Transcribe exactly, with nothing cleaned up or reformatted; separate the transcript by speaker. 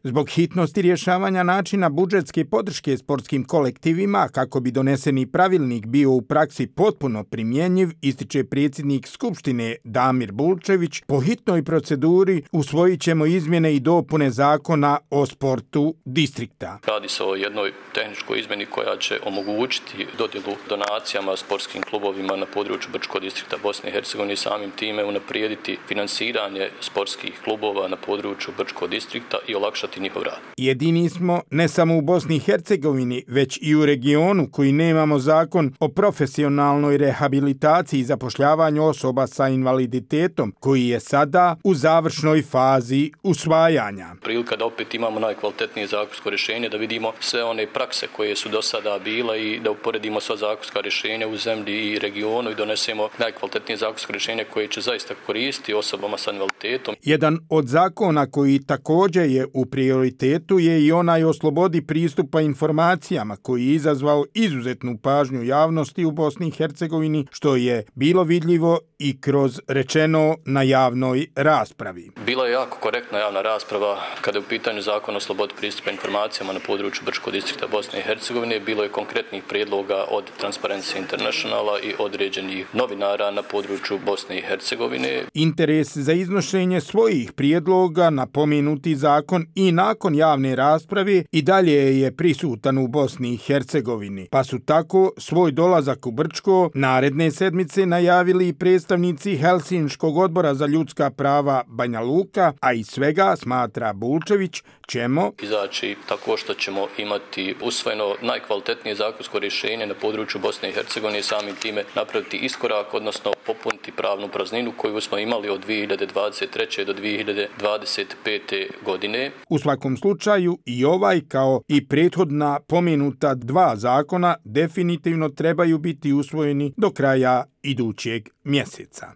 Speaker 1: Zbog hitnosti rješavanja načina budžetske podrške sportskim kolektivima, kako bi doneseni pravilnik bio u praksi potpuno primjenjiv, ističe predsjednik Skupštine Damir Bulčević, po hitnoj proceduri usvojit ćemo izmjene i dopune zakona o sportu distrikta.
Speaker 2: Radi se o jednoj tehničkoj izmjeni koja će omogućiti dodjelu donacijama sportskim klubovima na području Brčkog distrikta Bosne i Hercegovine i samim time unaprijediti finansiranje sportskih klubova na području Brčkog distrikta i olakšati njihov rad.
Speaker 1: Jedini smo ne samo u Bosni i Hercegovini, već i u regionu koji nemamo zakon o profesionalnoj rehabilitaciji i zapošljavanju osoba sa invaliditetom, koji je sada u završnoj fazi usvajanja.
Speaker 2: Prilika da opet imamo najkvalitetnije zakonsko rješenje, da vidimo sve one prakse koje su do sada bile i da uporedimo sva zakonska rješenja u zemlji i regionu i donesemo najkvalitetnije zakonsko rješenje koje će zaista koristiti osobama sa invaliditetom.
Speaker 1: Jedan od zakona koji također je u prioritetu je i onaj o slobodi pristupa informacijama koji je izazvao izuzetnu pažnju javnosti u Bosni i Hercegovini, što je bilo vidljivo i kroz rečeno na javnoj raspravi.
Speaker 2: Bila je jako korektna javna rasprava kada je u pitanju zakona o slobodi pristupa informacijama na području Brčkog distrikta Bosne i Hercegovine. Bilo je konkretnih prijedloga od Transparency Internationala i određenih novinara na području Bosne i Hercegovine.
Speaker 1: Interes za iznošenje svojih prijedloga na pomenuti zakon i nakon javne rasprave i dalje je prisutan u Bosni i Hercegovini, pa su tako svoj dolazak u Brčko naredne sedmice najavili i predstavnici Helsinškog odbora za ljudska prava Banja Luka, a iz svega, smatra Bulčević, ćemo
Speaker 2: izaći tako što ćemo imati usvojeno najkvalitetnije zakonsko rješenje na području Bosne i Hercegovine i samim time napraviti iskorak, odnosno popuniti pravnu prazninu koju smo imali od dvije hiljade dvadeset treće do dvije hiljade dvadeset pete godine.
Speaker 1: U svakom slučaju i ovaj kao i prethodna pomenuta dva zakona definitivno trebaju biti usvojeni do kraja idućeg mjeseca.